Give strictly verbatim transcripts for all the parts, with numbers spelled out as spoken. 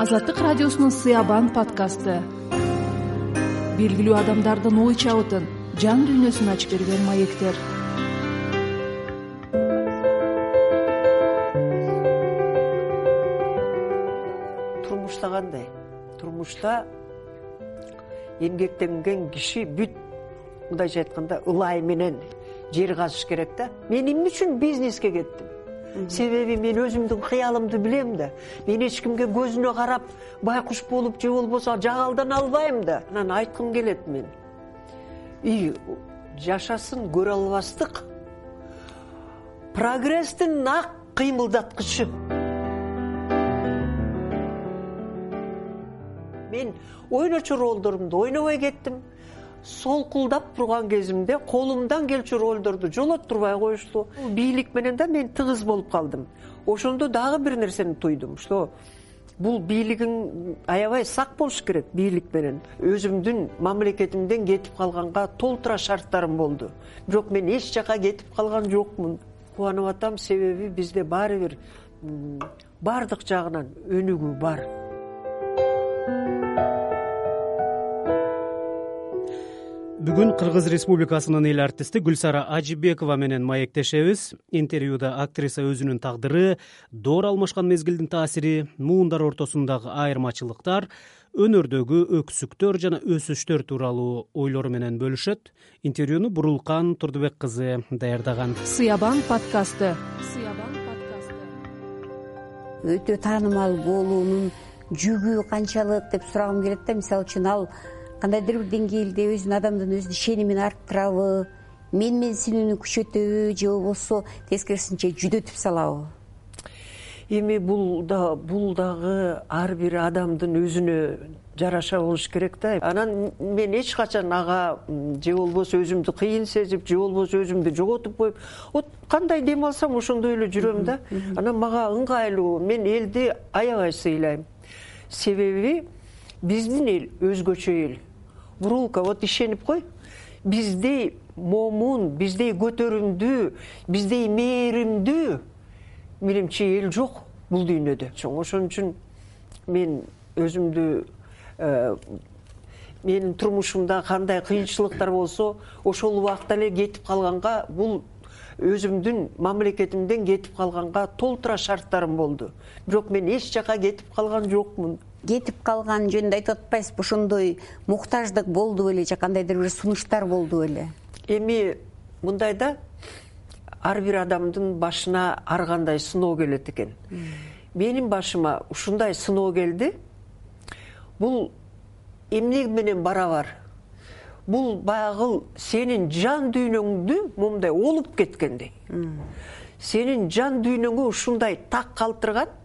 Азаттык радиосунун Сыябан подкасты. Белгилүү адамдардын ой чабытын, жан дүйнөсүн ачып берген маектер. Турмушта кандай? Турмушта эмгектенген киши бүт мындайча айтканда ылай менен жер казыш керек да. Мен эмне үчүн бизнеске кеттим? Себеби мен өзүмдүн кыялымды билем да. Мен эч кимге көзүнө карап байкуш болуп же болбосо жагалдан албайм да. Анан айткым келет мен. И жашасын көрө албастык прогресстин ак кыймылдаткычы. Мен ойночу ролдорумду ойнобой кеттим. Солкулдап турган кезимде колумдан келчү ролдорду жолоттурбай коюшту. Бийлик менен да мен тыгыз болуп калдым. Ошондо дагы бир нерсени туйдум, что бул бийлигиң аябай сак болуш керек бийлик менен. Өзүмдүн мамлекетимден кетип калганга толтура шарттарым болду. Бирок мен эч жака кетип калган жокмун. Кубанып атам, себеби бизде баары бир бардык жагынан өнүгүү бар. Бүгүн Кыргыз Республикасынын эл артисти Гүлсара Ажибекова менен маектешебиз. Интервьюда актриса өзүнүн тагдыры, доор алмашкан мезгилдин таасири, муундар ортосундагы айырмачылыктар, өнөрдөгү өксүктөр жана өсүштөр тууралуу ойлору менен бөлүшөт. Интервьюну Бурулкан Турдубек кызы даярдаган. Сыябан подкасты. Сыябан подкасты. Өтө таанымал болуунун жүгү канчалык деп сурагым келет да. Мисалы үчүн ал кандайдыр бир деңгээлде өзүнүн адамдын өзүнүн ишенимин арттырабы, менменсинүүнү күчөтөбү же болбосо тескерисинче жүдөтүп салабы? Эми бул да бул дагы ар бир адамдын өзүнө жараша болуш керек да. Анан мен эч качан ага же болбосо өзүмдү кыйын сезип, же болбосо өзүмдү жоготуп коюп, вот кандай дем алсам ошондой эле жүрөм да. Анан мага ыңгайлуу, мен элди аябай сыйлайм. Себеби биздин эл өзгөчө эл. Бурулка, вот ишенип кой. Биздей момун, биздей көтөрүмдүү, биздей мээримдүү менимче эл жок бул дүйнөдө. Ошон үчүн мен өзүмдү менин турмушумда кандай кыйынчылыктар болсо, ошол убакта эле кетип калганга, бул өзүмдүн мамлекетимден кетип калганга толтура шарттарым болду. Бирок мен эч жака кетип калган жокмун. Кетип калган жөнүндө айтып атпайсызбы? Ошондой муктаждык болду беле же кандайдыр бир сунуштар болду беле? Эми мындай да, ар бир адамдын башына ар кандай сыноо келет экен. Менин башыма ушундай сыноо келди. Бул эмне менен барабар? Бул баягы сенин жан дүйнөңдү момундай олуп кеткендей. Сенин жан дүйнөңө ушундай так калтырган.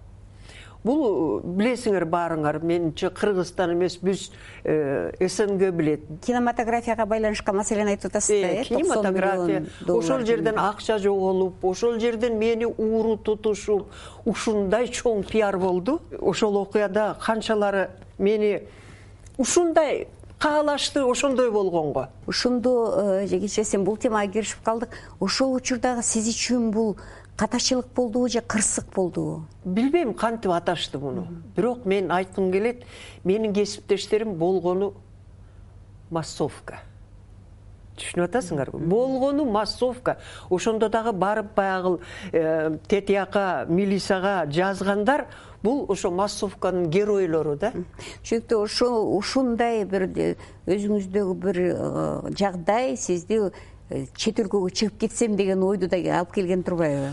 Бул билесиңер баарыңар, менимче Кыргызстан эмес, биз СНГ билет. Кинематографияга байланышкан маселени айтып атасыз да, э? Кинематография. Ошол жерден акча жоголуп, ошол жерден мени ууру тутушуп, ушундай чоң пиар болду. Ошол окуяда канчалары мени ушундай каалашты, ошондой болгонго. Ошондо же кечиресиң, бул темага киришип калдык. Ошол учурдагы сиз үчүн бул катачылык болдубу же кырсык болдубу? Билбейм кантип аташты муну. Бирок мен айткым келет, менин кесиптештерим болгону массовка. Түшүнүп атасыңарбы? Болгону массовка. Ошондо дагы барып баягы тетияка, милицияга жазгандар, бул ошо массовканын геройлору да. Чүнүктүү ошол ушундай бир өзүңүздөгү бир жагдай сизди чет өлкөгө чыгып кетсем деген ойду да алып келген турбайбы?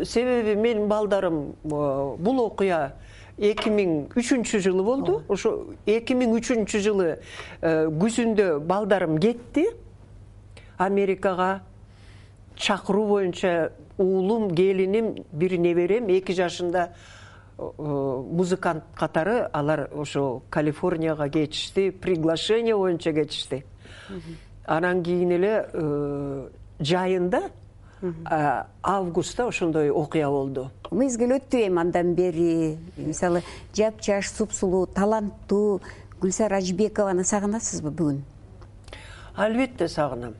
Себеби менин балдарым, бул окуя эки миң үчүнчү жылы болду. Ошо эки миң үчүнчү жылы күзүндө балдарым кетти Америкага. Чакыруу боюнча уулум, келиним, бир неберем эки жашында музыкант катары алар ошо Калифорнияга кетишти, приглашение боюнча кетишти. Анан кийин эле жайында августта ошондой окуя болду. Мезгил өттү эми андан бери. Мисалы, жапжаш, супсулуу, таланттуу Гүлсара Ажибекованы сагынасызбы бүгүн? Албетте сагынам.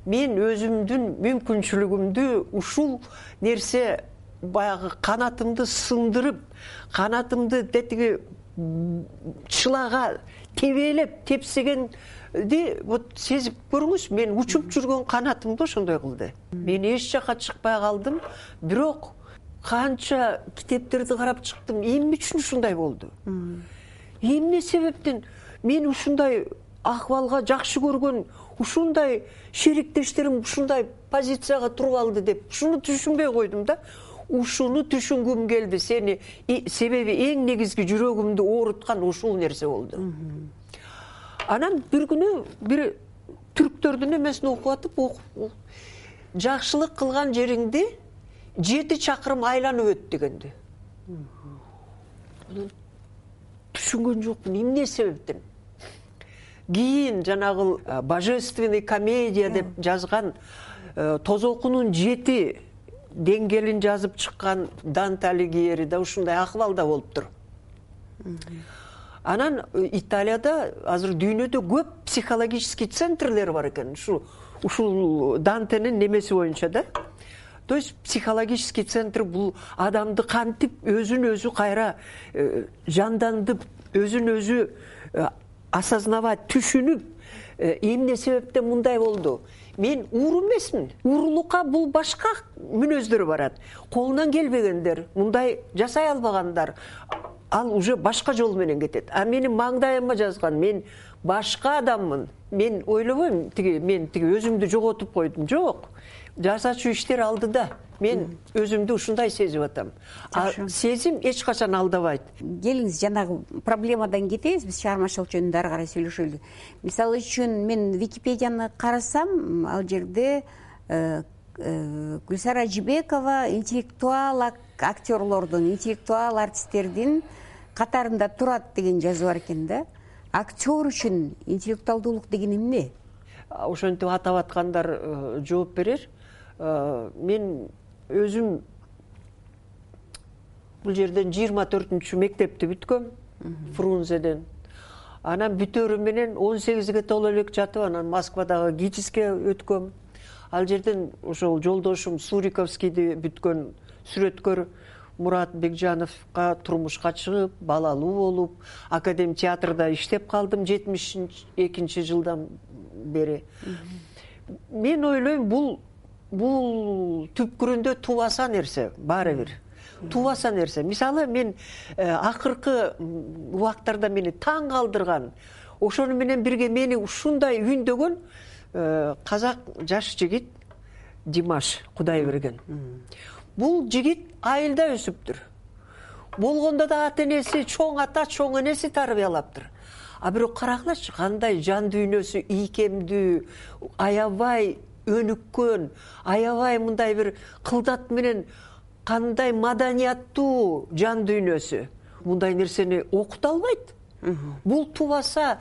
Мен өзүмдүн мүмкүнчүлүгүмдү ушул нерсе баягы канатымды сындырып, канатымды тетиги чылага тебелеп тепсегенди вот сезип көрүңүз. Мен учуп жүргөн канатымды ошондой кылды. Мен эч жакка чыкпай калдым, бирок канча китептерди карап чыктым. Эмне үчүн ушундай болду? Эмне себептен мен ушундай акыбалга жакшы көргөн ушундай шериктештерим ушундай позицияга туруп алды деп ушуну түшүнбөй койдум да. Ушуну түшүнгүм келди. Сени себеби эң негизги жүрөгүмдү ооруткан ушул нерсе болду. Анан бир күнү бир түрктөрдүн эмесин окуп атып, жакшылык кылган жериңди жети чакырым айланып өт дегенди. Түшүнгөн жокмун эмне себептен. Кийин жанагы божественный комедия деп жазган тозокунун жети деңгээлин жазып чыккан Данте Алигьери да ушундай акыбалда болуптур. Анан Италияда азыр дүйнөдө көп психологический центрлер бар экен. Ушу ушул Дантенин немеси боюнча да. То есть психологический центр бул адамды кантип өзүн өзү кайра жандандып, өзүн өзү осознавать, түшүнүп, эмне себептен мындай болду. Мен ууру эмесмин. Уурулукка бул башка мүнөздөр барат. Колунан келбегендер, мындай жасай албагандар, ал уже башка жол менен кетет. А менин маңдайыма жазган, мен башка адаммын. Мен ойлобойм, тиги мен тиги өзүмдү жоготуп койдум. Жок. Жасачу иштер алдыда. Мен өзүмдү ушундай сезип атам. А сезим эч качан алдабайт. Келиңиз, жанагы проблемадан кетебиз, биз чыгармачылык жөнүндө ары карай сүйлөшөлү. Мисалы үчүн мен Википедияны карасам, ал жерде Гүлсара Ажибекова интеллектуал актерлордун, интеллектуал артисттердин катарында турат деген жазуу бар экен да. Актер үчүн интеллектуалдуулук деген эмне? Ошентип атап аткандар жооп берер. Мен өзүм бул жерден жыйырма төртүнчү мектепти бүткөм, Фрунзеден. Анан бүтөрү менен он сегизге толо элек жатып, анан Москвадагы ГИТИСке өткөм. Ал жерден ошол жолдошум Суриковскийди бүткөн сүрөткөр Мурат Бекжановго турмушка чыгып, балалуу болуп, Академ театрда иштеп калдым жетимиш экинчи жылдан бери. Мен ойлойм, бул бул түпкүрүндө тубаса нерсе, баары бир. Тубаса нерсе. Мисалы, мен акыркы убактарда мени таң калтырган, ошону менен бирге мени ушундай үндөгөн казак жаш жигит Димаш Кудайберген. Бул жигит айылда өсүптүр. Болгондо да ата энеси, чоң ата, чоң энеси тарбиялаптыр. А бирок карагылачы, кандай жан дүйнөсү ийкемдүү, аябай өнүккөн, аябай мындай бир кылдат менен кандай маданияттуу жан дүйнөсү. Мындай нерсени окута албайт. Бул тубаса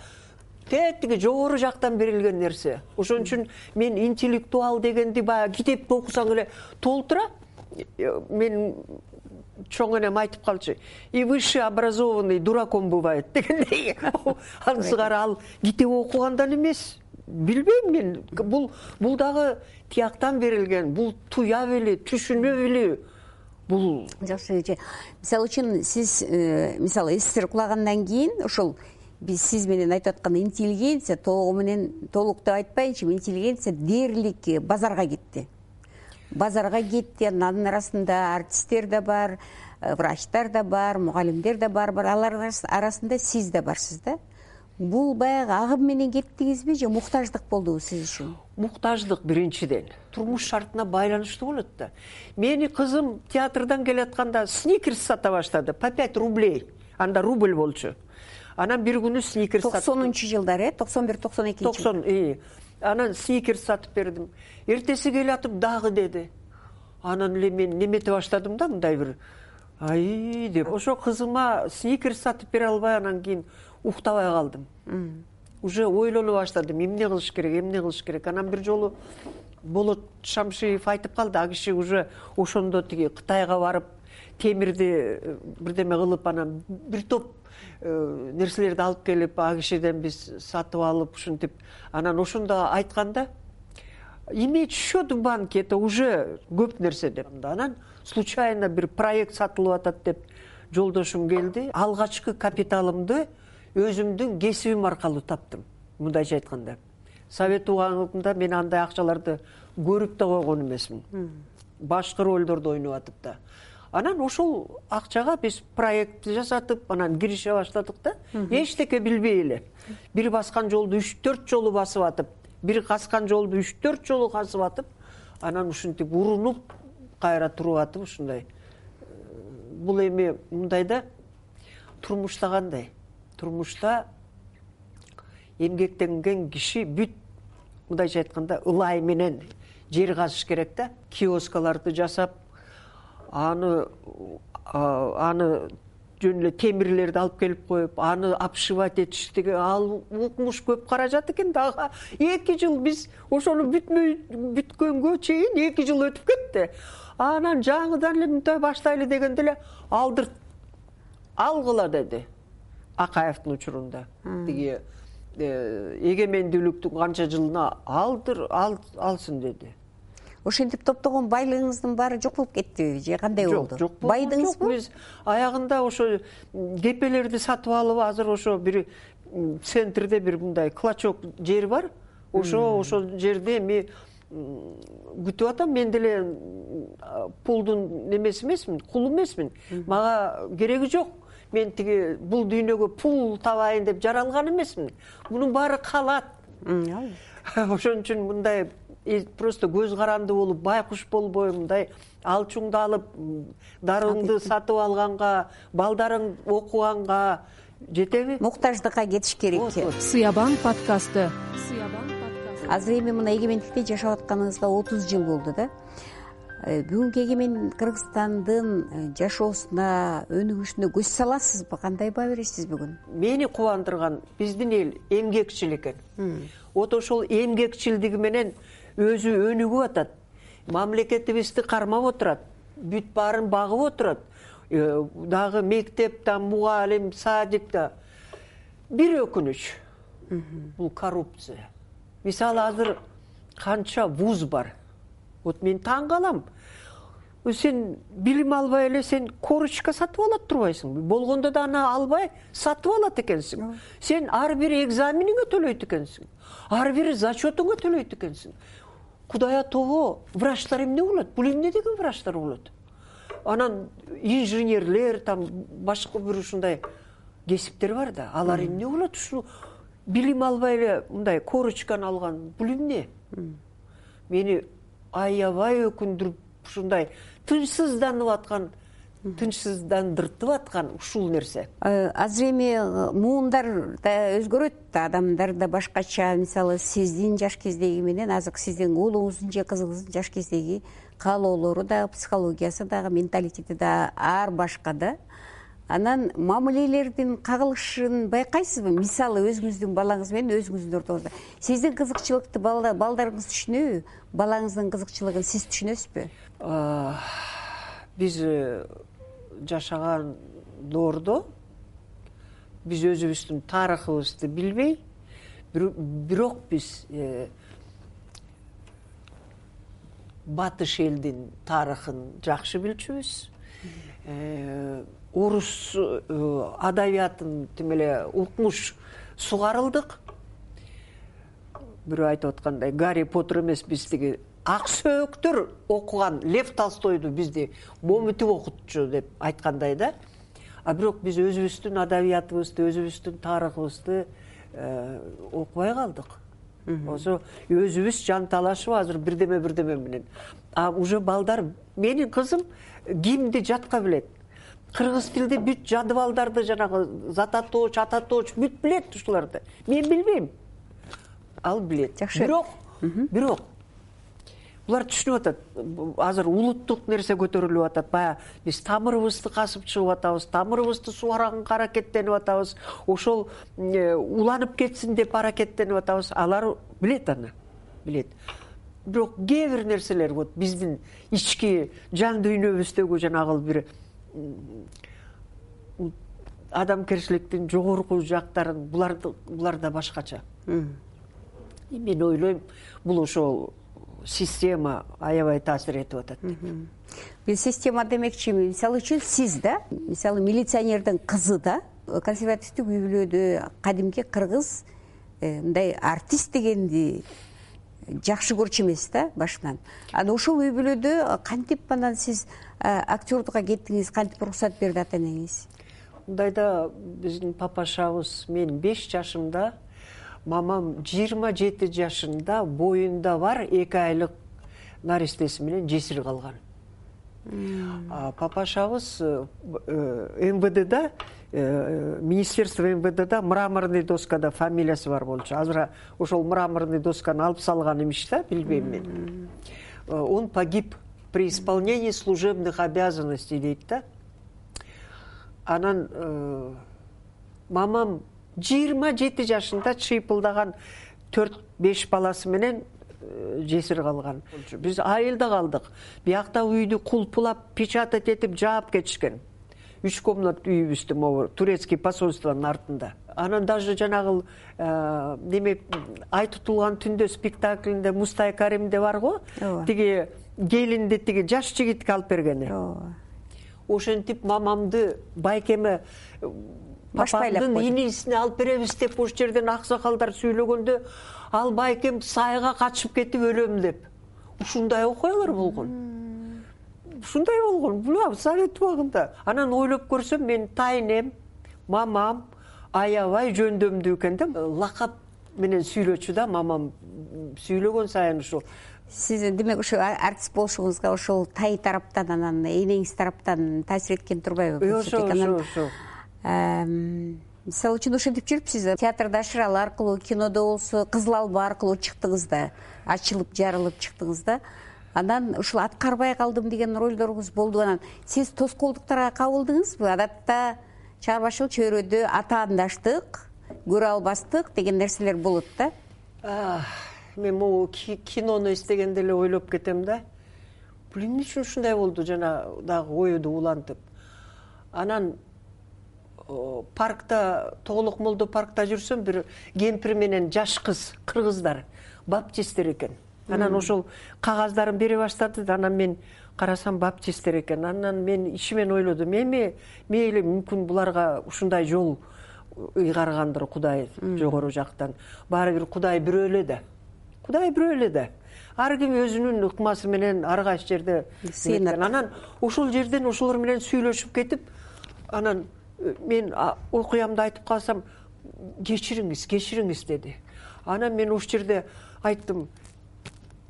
тетиги жогору жактан берилген нерсе. Ошон үчүн мен интеллектуал дегенди баягы китепти окусаң эле толтура. Мен чоң энем айтып калчу, и высший образованный дураком бывает дегендей. Ансыгар ал китеп окугандан эмес. Билбейм мен. Бул бул дагы тияктан берилген. Бул туя били, түшүнө били. Бул жакшы. Мисалы үчүн сиз мисалы СССР кулагандан кийин ошол биз сиз менен айтып аткан интеллигенция толугу менен толук деп айтпайынчы, интеллигенция дээрлик базарга кетти. Базарга кетти. Анын арасында артисттер да бар, врачтар да бар, мугалимдер да бар. Алардын арасында сиз да барсыз да. Бул баягы агым менен кеттиңизби же муктаждык болдубу сиз үчүн? Муктаждык биринчиден. Турмуш шартына байланыштуу болот да. Мени кызым театрдан келатканда сникерс сата баштады. По пять рублей. Анда рубль болчу. Анан бир күнү сникерс сатып. токсонунчу жылдары, э? токсон бир токсон экинчи. токсон, ии. Анан сникерс сатып бердим. Эртеси келатып дагы деди. Анан эле мен немете баштадым да, мындай бир ай деп. Ошо кызыма сникерс сатып бере албай анан кийин уктабай калдым. Уже ойлоно баштадым, эмне кылыш керек, эмне кылыш керек. Анан бир жолу Болот Шамшиев айтып калды, а киши уже ошондо тиги Кытайга барып, темирди бирдеме кылып, анан бир топ нерселерди алып келип, а кишиден биз сатып алып, ушинтип, анан ошондо айтканда, иметь счет в банке это уже көп нерсе деп. Анан случайно бир проект сатылып атат деп жолдошум келди. Алгачкы капиталымды өзүмдүн кесибим аркылуу таптым. Мындайча айтканда, совет убагында мен андай акчаларды көрүп да койгон эмесмин. Башкы ролдорду ойноп атып да. Анан ошол акчага биз проект жасатып, анан кирише баштадык да. Эчтеке билбей эле. Бир баскан жолду үч төрт жолу басып атып, бир каскан жолду үч төрт жолу касып атып, анан ушинтип урунуп, кайра туруп атып ушундай. Бул эми мындай да, турмушта кандай? Турмушта эмгектенген киши бүт, мындайча айтканда, ылай менен жер казыш керек да. Киоскаларды жасап, аны аны жөн эле темирлерди алып келип коюп, аны обшивать этиштиги, ал укмуш көп каражат экен дагы. эки жыл биз ошону бүтмөй бүткөнгө чейин эки жыл өтүп кетти. Анан жаңыдан эле мындай баштайлы дегенде эле алдыр алгыла деди Акаевдин учурунда. Тиги эгемендүүлүктүн канча жылына алдыр алсын деди. Ошентип топтогон байлыгыңыздын баары жок болуп кеттиби же кандай болду? Жок, жок. Байдыңызбы? Биз аягында ошо кепелерди сатып алып, азыр ошо бир центрде бир мындай клочок жер бар. Ошо ошо жерде эми күтүп атам. Мен деле пулдун немеси эмесмин, кул эмесмин. Мага кереги жок. Мен тиги бул дүйнөгө пул табайын деп жаралган эмесмин. Мунун баары калат. Ошон үчүн мындай просто көз каранды болуп, байкуш болбой, мындай алчуңду алып, дарыңды сатып алганга, балдарың окуганга жетеби? Муктаждыкка кетиш керек. Сыябан подкасты. Азыр эми мына эгемендикте жашап атканыңызга отуз жыл болду да. Бүгүнкү эгемен Кыргызстандын жашоосуна, өнүгүшүнө көз саласызбы? Кандай баа бересиз бүгүн? Мени кубандырган биздин эл эмгекчил экен. Вот ошол эмгекчилдиги менен өзү өнүгүп атат. Мамлекетибизди кармап отурат. Бүт баарын багып отурат. Дагы мектепте, мугалим, садикте. Бир өкүнүч. Бул коррупция. Мисалы азыр канча вуз бар. Вот мен таң калам. Сен билим албай эле сен корочка сатып алат турбайсыңбы? Болгондо да аны албай сатып алат экенсиң. Сен ар бир экзамениңе төлөйт экенсиң. Ар бир зачетуңа төлөйт экенсиң. Кудая того, врачтар эмне болот? Бул эмне деген врачтар болот? Анан инженерлер, там башка бир ушундай кесиптер бар да. Алар эмне болот? Ушу билим албай эле мындай корочканы алган. Бул эмне? Мени аябай өкүндүрүп ушундай тынчсызданып аткан, тынчсыздандыртып аткан ушул нерсе. Азыр эми муундар да өзгөрөт, адамдар да башкача. Мисалы сиздин жаш кездеги менен азыр сиздин уулуңуздун же кызыңыздын жаш кездеги каалоолору да, психологиясы дагы, менталитети да ар башка да. Анан мамилелердин кагылышын байкайсызбы? Мисалы өзүңүздүн балаңыз менен өзүңүздүн ортоңузда. Сиздин кызыкчылыкты балдарыңыз түшүнөбү? Балаңыздын кызыкчылыгын сиз түшүнөсүзбү? Биз жашаган доордо биз өзүбүздүн тарыхыбызды билбей, бирок биз батыш элдин тарыхын жакшы билчүбүз. Орус адабиятын тим эле укмуш сугарылдык. Бирөө айтып аткандай, Гарри Поттер эмес, биз тиги ак сөөктөр окуган Лев Толстойду бизди момутуп окутчу деп айткандай да. А бирок биз өзүбүздүн адабиятыбызды, өзүбүздүн тарыхыбызды окубай калдык. Ошо өзүбүз жан талашып азыр бирдеме бирдеме менен. А уже балдар, менин кызым кимди жатка билет. Кыргыз тилде бүт жадыбалдарды, жанагы зататоч, ататоч бүт билет ушуларды. Мен билбейм. Ал билет. Бирок, бирок булар түшүнүп атат. Азыр улуттук нерсе көтөрүлүп атат. Бая биз тамырыбызды касып чыгып атабыз, тамырыбызды сугаранга аракеттенип атабыз. Ошол уланып кетсин деп аракеттенип атабыз. Алар билет аны. Билет. Бирок кээ бир нерселер вот биздин ички жан дүйнөбүздөгү жанагы бир адамгерчиликтин жогорку жактарын буларды буларда башкача. Мен ойлойм, бул ошол система аябай таасир этип атат. Бул система демекчимин, мисалы үчүн сиз да, мисалы милиционердин кызы да консервативдик үй бүлөдө кадимки кыргыз мындай артист дегенди жакшы көрчү эмес да башынан. Анан ошол үй бүлөдө кантип анан сиз актердукка кеттиңиз, кантип уруксат берди ата энеңиз? Мындайда биздин папашабыз мен беш жашымда, мамам жыйырма жети жашында боюнда бар эки айлык наристеси менен жесир калган. Папашабыз эм вэ дэда, министерство эм вэ дэда мраморный доскада фамилиясы бар болчу. Азыр ошол мраморный досканы алып салган имиш да, билбейм мен. Он погиб при исполнении служебных обязанностей дейт да. Анан мамам жыйырма жети жашында чыйпылдаган төрт беш баласы менен жесир калган. Биз айылда калдык. Биякта үйдү кулпулап, печатать этип жаап кетишкен. Үч комнат үйүбүздү могу турецкий посольствонун артында. Анан даже жанагы неме ай тутулган түндө спектаклинде Мустай Каримде бар го, тиги келинди тиги жаш жигитке алып бергени. Ошентип мамамды байкеме папамдын инисине алып беребиз деп ош жерден аксакалдар сүйлөгөндө, ал байкем сайга качып кетип өлөм деп. Ушундай окуялар болгон. Ушундай болгон. Бул совет убагында. Анан ойлоп көрсөм, мен тайнем, мамам аябай жөндөмдүү экен да. Лакап менен сүйлөчү да, мамам сүйлөгөн сайын ушул. Сиз демек ошо артист болушуңузга ошол тай тараптан, анан энеңиз тараптан таасир эткен турбайбы? Ошо, ошо, ошо. Мисалы үчүн ошентип жүрүпсүз, театрда Ашыралы аркылуу, кинодо болсо Кызыл Алба аркылуу чыктыңыз да, ачылып, жарылып чыктыңыз да. Анан ушул аткарбай калдым деген ролдоруңуз болду. Анан сиз тоскоолдуктарга кабылдыңызбы? Адатта чыгармачыл чөйрөдө атаандаштык, көрө албастык деген нерселер болот да. Мен могу кинону эстегенде эле ойлоп кетем да. Бул эмне үчүн ушундай болду, жана дагы оюду улантып. Анан паркта, Тоголок Молдо паркта жүрсөм, бир кемпир менен жаш кыз, кыргыздар, баптисттер экен. Анан ошол кагаздарын бере баштады. Анан мен карасам баптисттер экен. Анан мен ишимен ойлодум, эми мейли мүмкүн буларга ушундай жол ыйгаргандыр Кудай жогору жактан. Баары бир Кудай бирөө эле да. Кудай бирөө эле да. Ар ким өзүнүн ыкмасы менен ар кайсы жерде сыйынат. Анан ошол жерден ошолор менен сүйлөшүп кетип, анан мен окуямды айтып калсам, кечириңиз, кечириңиз деди. Анан мен ошол жерде айттым,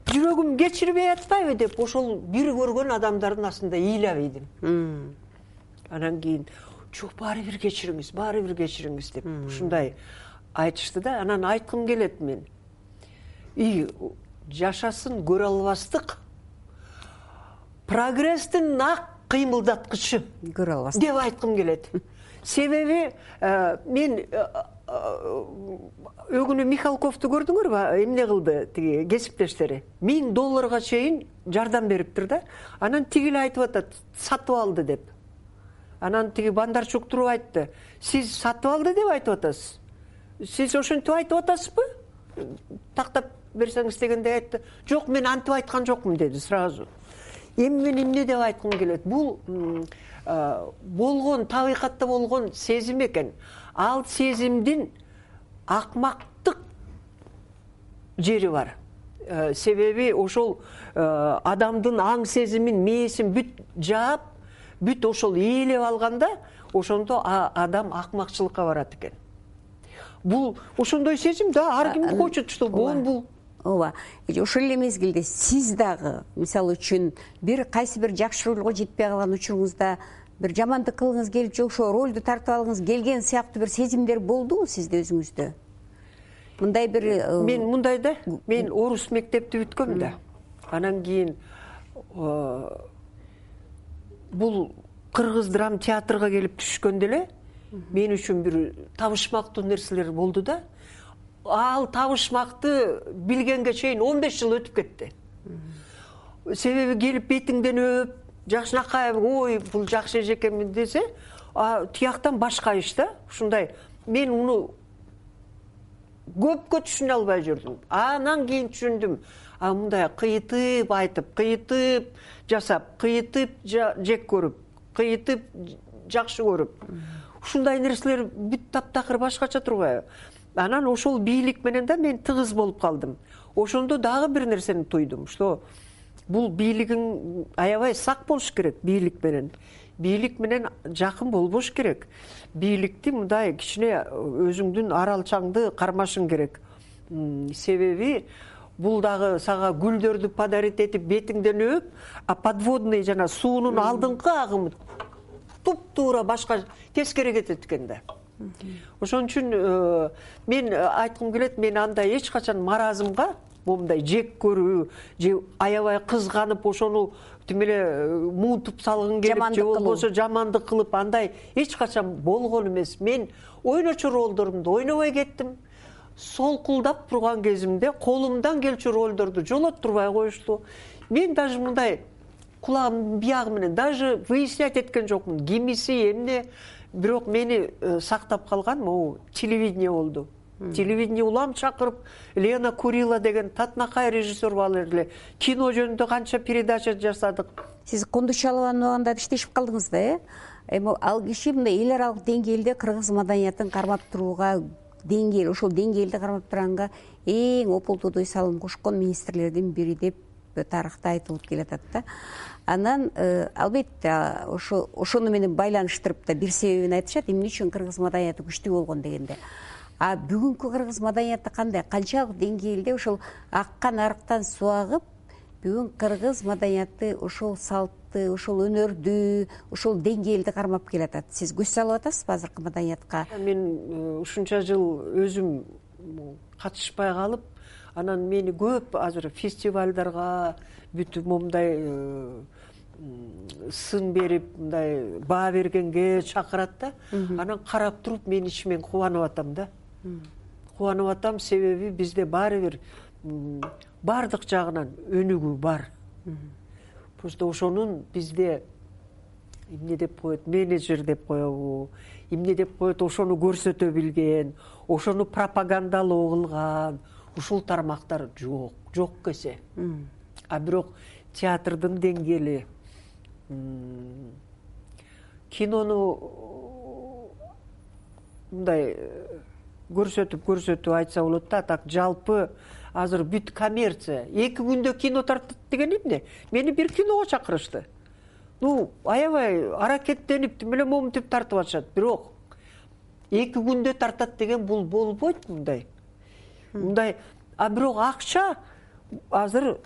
жүрөгүм кечирбей атпайбы деп, ошол бир көргөн адамдардын астында ыйлап идим. Анан кийин, жок, баары бир кечириңиз, баары бир кечириңиз деп ушундай айтышты да. Анан айткым келет мен. И жашасын көрө албастык прогресстин ак кыймылдаткычы көрө албастык деп айткым келет. Себеби мен өгүнү Михалковду көрдүңөрбү? Эмне кылды тиги кесиптештери? миң долларга чейин жардам бериптир да. Анан тиги эле айтып атат, сатып алды деп. Анан тиги Бандарчук туруп айтты, сиз сатып алды деп айтып атасыз. Сиз ошентип айтып атасызбы? Тактап берсеңиз дегенде айтты. Жок, мен антип айткан жокмун деди сразу. Эми мен эмне деп айткым келет? Бул болгон, табигатта болгон сезим экен. Ал сезимдин акмактык жери бар. Себеби ошол адамдын аң сезимин, мээсин бүт жаап, бүт ошол ээлеп алганда, ошондо адам акмакчылыкка барат экен. Бул ошондой сезим да, ар ким хочет, что бул бул. Ооба. Ошол эле мезгилде сиз дагы, мисалы үчүн, бир кайсы бир жакшы ролго жетпей калган учуруңузда бир жамандык кылгыңыз келип, же ошо ролду тартып алгыңыз келген сыяктуу бир сезимдер болдубу сизде өзүңүздө? Мындай бир мен мындай да, мен орус мектепти бүткөм да. Анан кийин бул кыргыз драм театрга келип түшкөндө эле мен үчүн бир табышмактуу нерселер болду да. Ал табышмакты билгенге чейин он беш жыл өтүп кетти. Себеби келип бетиңден өп, жакшынакай, ой, бул жакшы эжекемин десе, тияктан башка иш да. Ушундай мен уну көпкө түшүнө албай жүрдүм. Анан кийин түшүндүм. а мындай кыйытып айтып, кыйытып жасап, кыйытып жек көрүп, кыйытып жакшы көрүп, ушундай нерселер бүт таптакыр башкача турбайбы? Анан ошол бийлик менен да мен тыгыз болуп калдым. Ошондо дагы бир нерсени туйдум, что бул бийлигиң аябай сак болуш керек бийлик менен. Бийлик менен жакын болбош керек. Бийликти мындай кичине өзүңдүн аралчаңды кармашың керек. Себеби бул дагы сага гүлдөрдү подарить этип бетиңден өп, а подводный жана суунун алдыңкы агымы туп-туура башка тескери кетет экен да. Ошон үчүн мен айткым келет, мен андай эч качан маразымга, момундай жек көрүү, же аябай кызганып ошону тим эле муутуп салгың келип, же болбосо жамандык кылып, андай эч качан болгон эмес. Мен ойночу ролдорумду ойнобой кеттим. Солкулдап турган кезимде колумдан келчү ролдорду жолоттурбай коюшту. Мен даже мындай кулагымдын биягы менен даже выяснять эткен жокмун. Кимиси эмне, бирок мени сактап калган могу телевидение болду. Телевидение улам чакырып, Лена Курила деген татынакай режиссер бар эле. Кино жөнүндө канча передача жасадык. Сиз Кундучалованын убагында иштешип калдыңыз да, э? Эми ал киши мындай эл аралык деңгээлде кыргыз маданиятын кармап турууга деңгээл, ошол деңгээлди кармап турганга эң опултуудой салым кошкон министрлердин бири деп тарыхта айтылып келатат да. Анан албетте ошо ошону менен байланыштырып да бир себебин айтышат, эмне үчүн кыргыз маданияты күчтүү болгон дегенде. А бүгүнкү кыргыз маданияты кандай, канчалык деңгээлде ошол аккан арыктан суу агып, бүгүн кыргыз маданияты ошол салтты, ошол өнөрдү, ошол деңгээлди кармап келатат. Сиз көз салып атасызбы азыркы маданиятка? Мен ушунча жыл өзүм катышпай калып, анан мени көп азыр фестивалдарга бүт момундай сын берип, мындай баа бергенге чакырат да. Анан карап туруп мен ичимен кубанып атам да. Кубанып атам, себеби бизде баары бир бардык жагынан өнүгүү бар. Просто ошонун бизде эмне деп коет, менеджер деп коебу, эмне деп коет, ошону көрсөтө билген, ошону пропагандалоо кылган, ушул тармактар жок, жок кесе. А бирок театрдын деңгээли, кинону мындай көрсөтүп көрсөтүп айтса болот да, так жалпы азыр бүт коммерция. Эки күндө кино тартат деген эмне? Мени бир киного чакырышты. Ну, аябай аракеттенип, тим эле момунтип тартып атышат. Бирок эки күндө тартат деген бул болбойт мындай. Мындай, а бирок акча азыр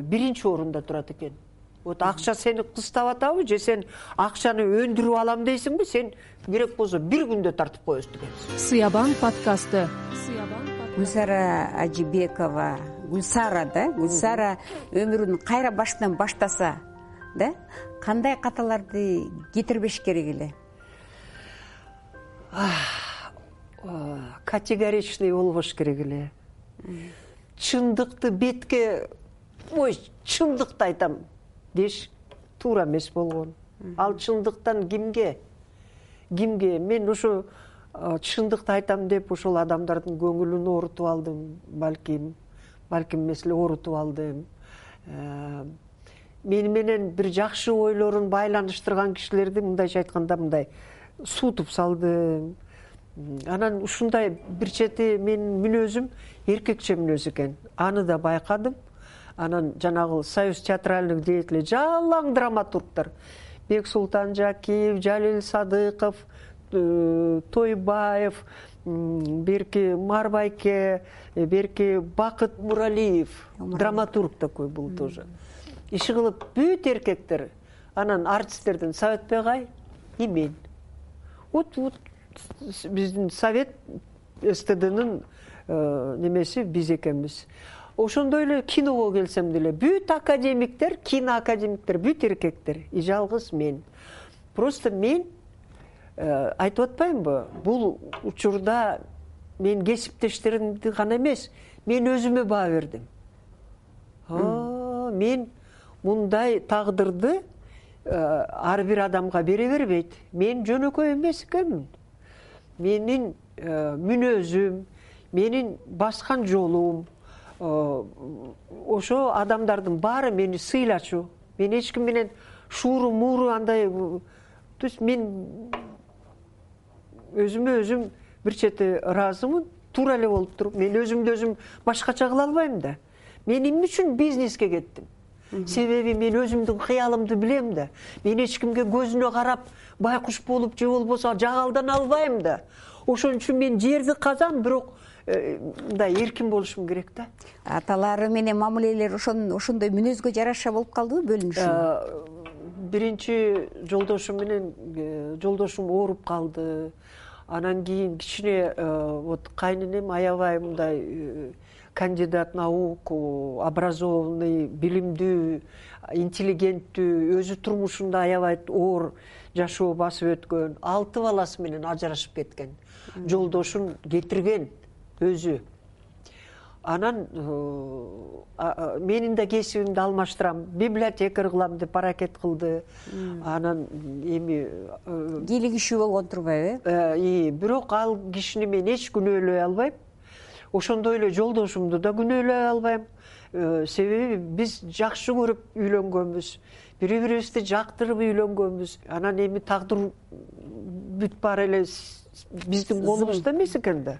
биринчи орунда турат экен. Вот акча сени кыстап атабы, же сен акчаны өндүрүп алам дейсиңби, сен керек болсо бир күндө тартып коесуз деген. Сыябан подкасты. Гүлсара Ажибекова, Гүлсара да, Гүлсара өмүрүн кайра башынан баштаса, да, кандай каталарды кетирбеш керек эле? Категоричный болбош керек эле. Чындыкты бетке, ой, чындыкты айтам деш туура эмес болгон. Ал чындыктан кимге? Кимге? Мен ошо чындыкты айтам деп ошол адамдардын көңүлүн оорутуп алдым, балким, балким эмес эле оорутуп алдым. Мени менен бир жакшы ойлорун байланыштырган кишилерди мындайча айтканда мындай суутуп салдым. Анан ушундай бир чети менин мүнөзүм эркекче мүнөз экен. Аны да байкадым. Анан жанагы Союз театральных деятелей, жалаң драматургтар, Бексултан Жакиев, Жалил Садыков, Тойбаев, берки Марбайке, берки Бакыт Муралиев, драматург такой был тоже. Иши кылып бүт эркектер. Анан артисттерден Совет Бегай и мен. Вот вот биздин Совет СТДнын немеси биз экенбиз. Ошондой эле киного келсем деле бүт академиктер, кино академиктер бүт эркектер, и жалгыз мен. Просто мен айтып атпаймынбы, бул учурда мен кесиптештеримди гана эмес, мен өзүмө баа бердим. Мен мындай тагдырды ар бир адамга бере бербейт. Мен жөнөкөй эмес экенмин. Менин мүнөзүм, менин баскан жолум, ошо адамдардын баары мени сыйлачу. Мен эч ким менен шууру мууру андай, то есть мен өзүмө өзүм бир чети ыраазымын, туура эле болуп туруп. Мен өзүмдү өзүм башкача кыла албайм да. Мен эмне үчүн бизнеске кеттим? Себеби мен өзүмдүн кыялымды билем да. Мен эч кимге көзүнө карап байкуш болуп же болбосо жагалдана албайм да. Ошон үчүн мен жерди казам, бирок мындай эркин болушум керек да. Аталары менен мамилелер ошон ошондой мүнөзгө жараша болуп калдыбы, бөлүнүшү? Биринчи жолдошум менен жолдошум ооруп калды. Анан кийин кичине вот кайненем аябай мындай кандидат наук, образованный, билимдүү, интеллигенттүү, өзү турмушунда аябай оор жашоо басып өткөн, алты баласы менен ажырашып кеткен. Жолдошун кетирген өзү. Анан менин да кесибимди алмаштырам, библиотекарь кылам деп аракет кылды. Анан эми кийлигишүү болгон турбайбы? Э, бирок ал кишини мен эч күнөөлөй албайм. Ошондой эле жолдошумду да күнөөлөй албайм. Себеби биз жакшы көрүп үйлөнгөнбүз, бири бирибизди жактырып үйлөнгөнбүз. Анан эми тагдыр бүт баары эле биздин колубузда эмес экен да.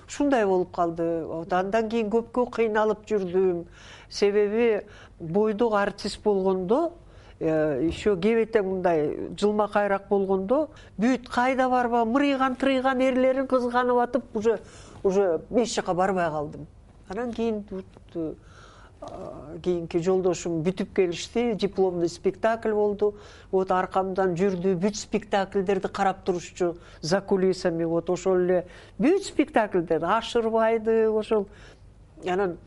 Ушундай болуп калды. Андан кийин көпкө кыйналып жүрдүм. Себеби бойдок артист болгондо, еще кебете мындай жылма кайрак болгондо, бүт кайда барба мырыйган тырыйган эрлерин кызганып атып, уже уже эч жака барбай калдым. Анан кийин кийинки жолдошум бүтүп келишти, дипломный спектакль болду. Вот аркамдан жүрдү, бүт спектакльдерди карап турушчу за кулисами. Вот ошол эле бүт спектакльдерди ашырбайды, ошол. Анан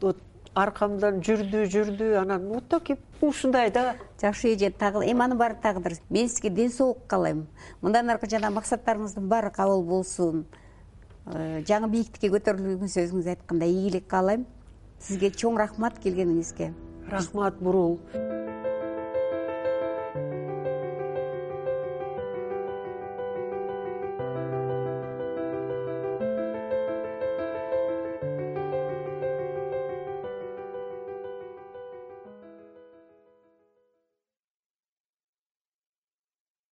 вот аркамдан жүрдү, жүрдү, анан вот так ушундай да. Жакшы эже, эми анын баары тагдыр. Мен сизге ден соолук каалайм. Мындан аркы жана максаттарыңыздын баары кабыл болсун. Жаңы бийиктикке көтөрүлүүңүз өзүңүз айткандай ийгилик каалайм. Сизге чоң рахмат келгениңизге. Рахмат, Бурул.